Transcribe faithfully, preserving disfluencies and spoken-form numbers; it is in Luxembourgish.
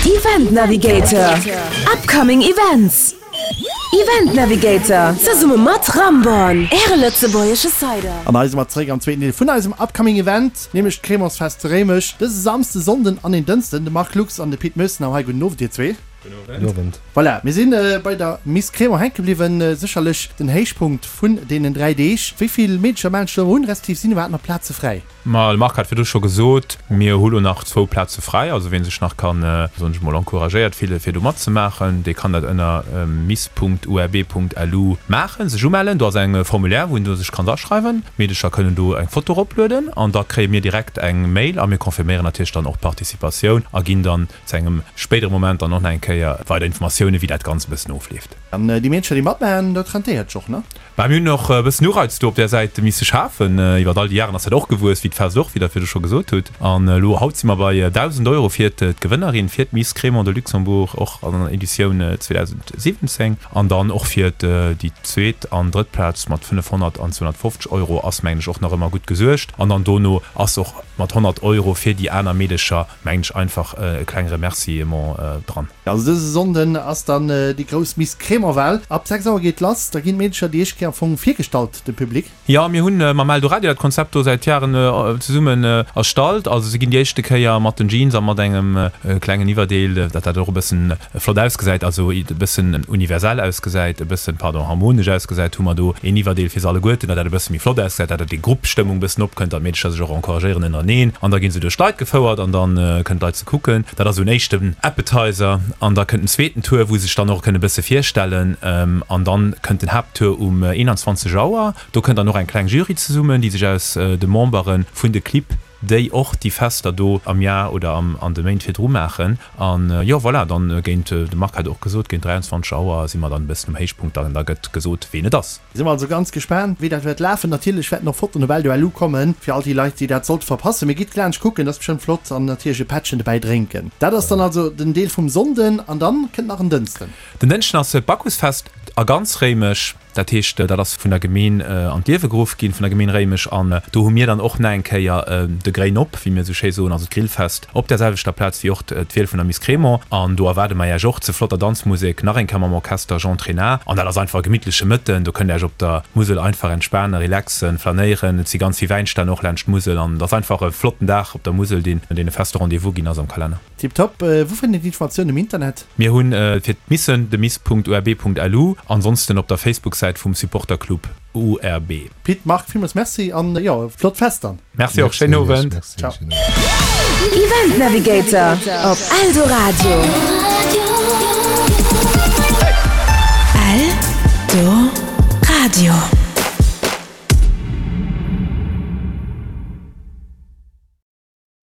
Event Navigator, Upcoming Events. Event Navigator, zesumme mat Ramborn, Äre lëtzebuergesche Cider. An hei si mer zeréck am zweeten Deel vun eisem Upcoming Event, nämlech d'Crémantsfest zu Réimech. Dëse Samsden, Sonnden an en Dënschden. De Marc Lux an de Pit Mösenau hei. Gudden Owend, dir zwee. Gudden Owend. Voilà, mir si bei der Miss Crémant hänke bliwwen. Sécherlech den Héichpunkt vun deenen dräi Deeg. Wéi vill Meedercher mellen sech do un, respektiv sinn iwwerhaapt nach Plaze fräi? Ma de Marc hat virdru scho gesot, mir hu lo nach zwou Plaze fräi. Also wien sech nach kann, soen ech mol, encouragéiert fille fir do matzemaachen, dee kann dat ënner miss.urb.lu maachen, sech umellen. Do ass eng Formulaire wou een do sech kann aschreiwen. D'Meedecher kënnen do eng Foto eroplueden an da kréie mir direkt eng Mail a mir confirméieren natierlech dann och d'Participatioun a ginn dann zu engem spéidere Moment dann och nach eng Kéier weider Informatiounen, wéi dat Ganzt e bëssen ofleeft. An déi Meedercher déi matmaachen, dat rentéiert sech och, ne? Bah, mir hunn och e bëssen Ureiz do op där Säit misse schafen. Iwwer all déi Jaren ass dat och gewuess, wéi d'Fest och, wéi Der virdu scho gesot hutt. An elo haut si mer bei dausend Euro fir d'Gewënnerin, fir d'Miss Crémant de Luxembourg, och an der Editioun zweedausendsiwwenzéng. An dann och fir déi zweet an drëtt Plaz mat fënnefhonnert an zweehonnertfofzeg Euro ass, mengen ech, och nach ëmmer gutt gesuergt. An dann dono ass och mat honnert Euro fir déi aner Meedecher, mengen ech, einfach e kleng Remerciement dran. Also dëse Sonnden ass dann déi grouss Miss Crémant-Wahl. Ab sechs Auer geet lass. Da ginn d'Meedecher déi éischt Kéier am Fong virgestallt dem Public. Jo, mir hunn mam Eldoradio dat Konzept do säit Jaren zesummen erstallt. Also se ginn déi éischte Kéier mat den Jeans a mat engem klengen Iwwerdeel, datt dat och e bëssen flott ausgesäit, also e bëssen universell ausgesäit, e bëssen, pardon, harmonesch ausgesäit, hu mer do een Iwwerdeel fir se alleguerten, datt dat e bësse méi flott ausgesäit, datt dat déi Gruppstëmmung e bëssen opkënnt, datt d'Meedecher sech och encouragéieren ënnereneen. An da gi se duerch d'Leit gefouert an da kënnen d'Leit se kucken. Dat ass esou en éischten Appetizer. An da kënnt en zweeten Tour, wou se sech dann och kënne bësse virstellen. An dann kënnt den Haapttour um eenanzwanzeg Auer. Do kënnt dann och eng kleng Jury zesummen, déi sech aus de Membere vun de Clibb, déi och déi Fester do am Jar oder an de Méint virdru maachen. An jo, voilà, dann géint, de Marc hat och gesot, géint dräianzwanzeg Auer si mer dann e bëssen um Héichpunkt an da gëtt gesot, ween et ass. Si mer also ganz gespaant, wéi dat wäert lafen. Natierlech wäerten och Fotoen op Eldo.lu kommen, fir all déi Leit, déi dat sollte verpassen. Mee gitt laanscht kucken, dat ass bestëmmt flott. An natierlech e Pättchen dobäi drénken. Dat ass dann also den Deel vum Sonnden. An dann kënnt nach en Dënsten. Den Dënschden ass d'Bacchusfest a ganz Réimech. Dat heescht, dat ass vun der Gemeen an d'Liewe geruff ginn, vun der Gemeen Réimech. An do hu mir dann och nach eng Kéier de Gréin op, wéi mir esou schéi soen, also d'Grillfest op där selwechter Plaz wéi och d'Wiel vun der Miss Crémant. An do erwaarde mer Iech och zu flotter Danzmusek, nach eng Kéier mam Orchester Jean Trenard. An dat ass einfach e gemittleche Mëtten. Do kënnt Dir Iech op der Musel einfach entspanen, relaxen, flanéieren. Et si ganz vill Wäinstänn och laanscht d'Musel. An et ass einfach e flotten Dag op der Musel, deen e feste Rendez-vous ginn ass am Kalenner. Tiptop. Wou fënnt een d'Informatiounen am Internet? Mir hunn fir d'Missen de miss.urb.lu, ansonsten op der Facebook-Säit vum Supporterclub U R B. Pit, Marc, villmools Merci an jo, flott Fest dann. Merci och, schéinen Owend. Ciao. Event Navigator op Eldoradio. Eldoradio.